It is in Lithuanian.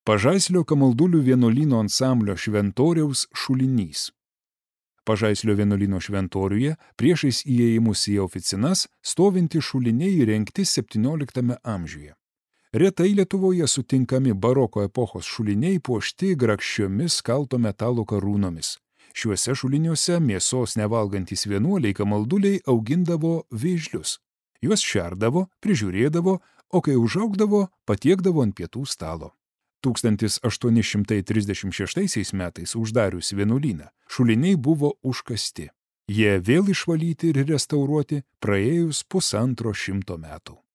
Pažaislio Kamaldulių vienuolyno ansamblio šventoriaus šulinys. Pažaislio vienuolyno šventoriuje priešais įėjimus į oficinas stovinti šuliniai įrengti 17 amžiuje. Retai Lietuvoje sutinkami baroko epochos šuliniai puošti grakščiomis kalto metalo karūnomis. Šiuose šuliniuose mėsos nevalgantys vienuoliai Kamalduliai augindavo vėžlius. Juos šerdavo, prižiūrėdavo, o kai užaugdavo, patiekdavo ant pietų stalo. 1836 metais uždarius vienuolyną, šuliniai buvo užkasti. Jie vėl išvalyti ir restauruoti praėjus 150 metų.